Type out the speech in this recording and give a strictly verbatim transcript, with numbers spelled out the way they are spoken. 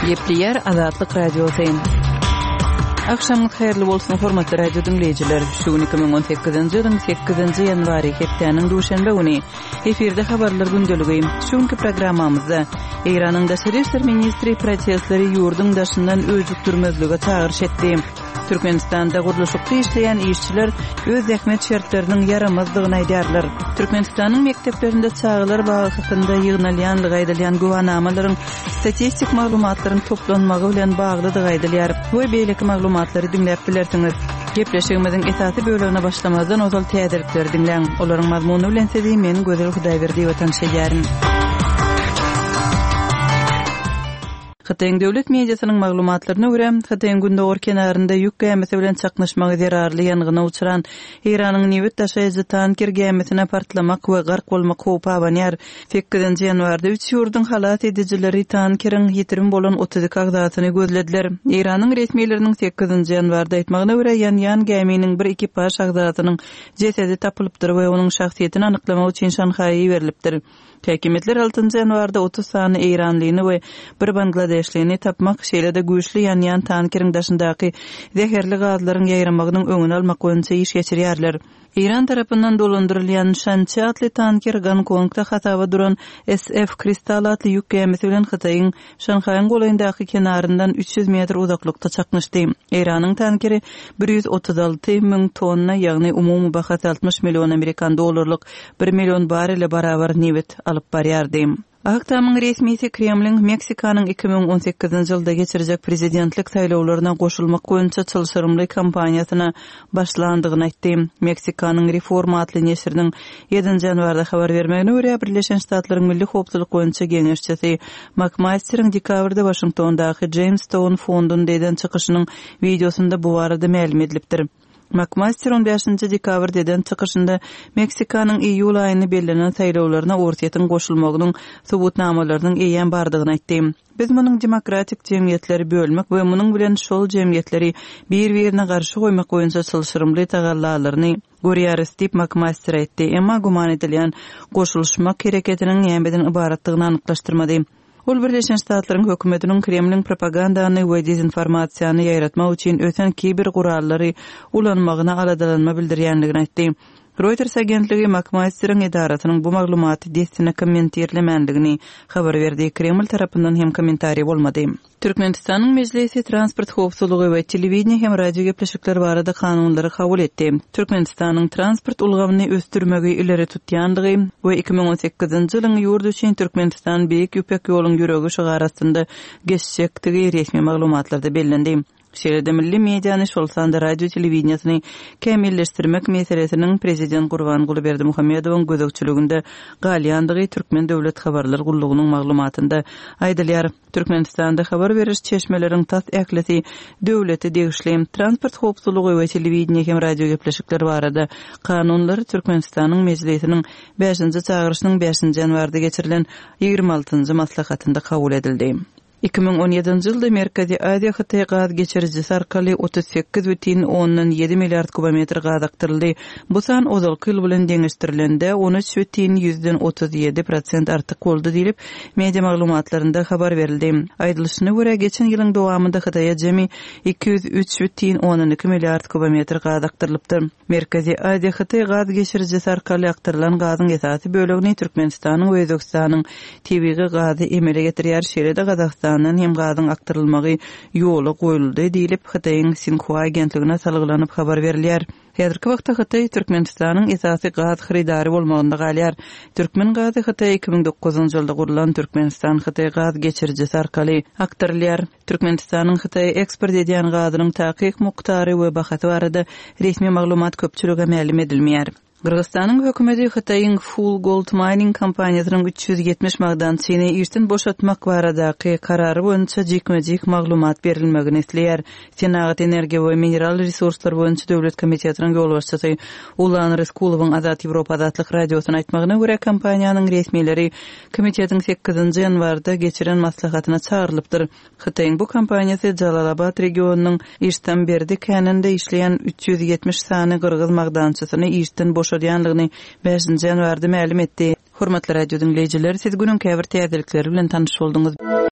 Gepleýär Azatlyk Radiosy. Agşamyňyz haýyrly bolsun, hormatly radio diňleýjiler. Şu gün iki müň on sekizinji ýylyň sekizinji ýanwary, hepdäniň duşenbe güni. Efirde habarlar gündeligi. Şu günki programmamyzda Eýranyň daşary işler ministri protestleri ýurduň daşyndan öjükdirmezlige çagyryş etdi. Türkmenistanda gurluşykda işleýän işçiler öz zähmet şertleriniň ýaramazdygyny aýdýarlar. Türkmenistanyň mekdeplerinde çagalar bagy hakynda ýygnalýanlygy aýdylýan güwanamalaryň statistik maglumatlaryň toplanmagy bilen baglydygy aýdylýar. We beýleki maglumatlary diňläp bilersiňiz. Gepleşigimiziň esasy bölegine başlamazdan ozal täzelikleri diňläň. Olaryň mazmuny bilen sizi men Gözel Hudaýberdiýewa tanyş edýärin. Hytaýyň döwlet mediasynyň maglumatlaryna görä, Hytaýyň gündogar kenarynda ýük gämisi bilen çaknyşmagy zerarly ýangyna uçran Eýranyň nebit daşaýjy tanker gämisine partlamak we gark bolmak howpy abanýar. Sekizinji ýanwarda üç ýurduň halas edijileri tankeriň ýitirim bolan otuz iki agzasyny gözlediler. Eýranyň resmileriniň sekizinji ýanwarda aýtmagyna görä, ýanýan gäminiň bir ekipaž agzasynyň jesedi tapylypdyr we onuň şahsyýetini anyklamak üçin Şanhaýa iberilipdir. Häkimiýetler altynjy ýanwarda otuz sany eýranlyny we bir bangladeşlini tapmak, şeýle-de güýçli ýanýan tankeriň daşyndaky zäherli gazlaryň ýaýramagynyň öňüni almak boýunça iş geçirýärler. Eýran tarapyndan dolandyrylýan Şançi atly tanker Gonkongda hasaba duran S F Kristal atly ýük gämisi bilen Hytaýyň Şanhaýyň golaýyndaky kenaryndan üç ýüz metr uzaklykda çaknyşdy. Eýranyň tankeri bir ýüz otuz alty müň tonna, ýagny umumy bahasy altmyş million amerikan dollarlyk bir million barele barabar nebit alyp barýardy. Ak Tamyň resmisi Kremliň Meksikanyň iki müň on sekizinji ýylda geçirjek prezidentlik saýlawlaryna goşulmak boýunça çylşyrymly kampaniýasyna başlandygyny aýtdy. Meksikanyň Reforma atly neşiriniň ýedinji ýanwarda habar bermegine görä, Birleşen Ştatlaryň Milli Howpsuzlyk boýunça geňeşçisi McMasteryň dekabrda Waşingtondaky Jamestown fondunda eden çykyşynyň wideosynda bu barada mälim edilipdir. McMaster on bäşinji dekabrda eden çykyşynda Meksikanyň iýul aýyny bellenen saýlawlaryna Orsýetiň goşulmagynyň subutnamalarynyň eýýäm bardygyny aýtdy. Biz munuň demokratik jemgyýetleri bölmek we munuň bilen şol jemgyýetleri bir-birine garşy goýmak boýunça çylşyrymly tagallalaryny görýäris diýip McMaster aýtdy. Emma güman edilýän goşulyşmak hereketiniň nämeden ybaratdygyny anyklaşdyrmady. Ol Birleşen Ştatlaryň hökümetiniň Kremliň propagandany we dezinformasiýany ýaýratmak üçin ösen kiber gurallary ulanmagyna aladalanma bildirýänligini aýtdy. Reuters agentligi McMasteriň edarasynyň bu maglumaty dessine kommentirlemänligini habar berdi. Kreml tarapyndan hem kommentariý bolmady. Türkmenistanyň Mejlisi transport howpsuzlygy we telewideniýe hem radio gepleşikler barada kanunlary kabul etdi. Türkmenistanyň transport ulgamyny ösdürmegi ileri tutýandygy we iki müň on sekizinji ýylyň ýurt üçin Türkmenistan Beýik Ýüpek ýoluň ýüregi şygar astynda geçjekdigi resmi maglumatlarda bellendi. Şeýle-de milli mediany, şol sanda radio telewideniýesini kämilleşdirmek meselesiniň Prezident Gurbanguly Berdimuhamedowyň gözegçiliginde galýandygy Türkmen Döwlet Habarlar Gullugynyň maglumatynda aýdylýar. Türkmenistanda habar beriş çeşmeleriň tas ählisi döwlete degişli. Transport howpsuzlygy we telewideniýe hem radio gepleşikler barada kanunlar Türkmenistanyň Mejlisiniň bäşinji çagyryşynyň bäşinji ýanwarda geçirilen ýigrimi altynjy maslahatynda kabul edildi. Iki müň on ýedinji ýylda Merkezi Aziýa Hytaý gaz geçirijisi arkaly otuz sekiz bütin ondan ýedi milliard kubometr gaz akdyryldy. Bu san ozalky ýyl bilen deňeşdirilende on üç bütin ýüzden otuz ýedi prosent artyk boldy diýlip, media maglumatlarynda habar berildi. Aýdylyşyna görä, geçen ýylyň dowamynda Hytaýa jemi iki ýüz üç bütin ondan iki milliard kubometr gaz akdyrylypdyr. Merkezi Aziýa Hytaý gaz geçirijisi arkaly akdyrylan gazyň esasy bölegini Türkmenistanyň we Özbekistanyň tebigy gazy emele getirýär. Şeýle-de Gazagystandan hem gazyň akdyrylmagy ýola goýuldy diýlip, Hytaýyň Sinhua agentligine salgylanyp habar berilýär. Häzirki wagtda Hytaý Türkmenistanyň esasy gaz hyrydary bolmagynda galýar. Türkmen gazy Hytaý iki müň dokuzynjy ýylda gurlan Türkmenistan Hytaý gaz geçirijisi arkaly akdyrylýar. Türkmenistanyň Hytaýa eksport edýän gazynyň takyk mukdary we bahasy barada resmi maglumat köpçülige mälim edilmeýär. Gyrgyzystanyň hökümeti Hytaýyň Full Gold Mining kompaniýasynyň üç ýüz ýetmiş magdançyny işden boşatmak baradaky karary boýunça jikme-jik maglumat berilmegini isleýär. Senagat, energiýa we mineral resurslar boýunça döwlet komitetiniň ýolbaşçysy Ulan Ryskulowyň Azat Ýewropa Azatlyk radiosyna aýtmagyna görä, kompaniýanyň resmileri komitetiň sekizinji ýanwarda geçiren maslahatyna çagyrylypdyr. Hytaýyň bu kompaniýasy Jalalabad regionynyň Iştamberdi käninde işleýän üç ýüz ýetmiş sany gyrgyz magdançysyny işden boşadýanlygyny bäşinji ýanwarda mälim etdi. Hormatly radio diňleýjiler, siz günüň käbir täzelikleri bilen tanyş bolduňyz.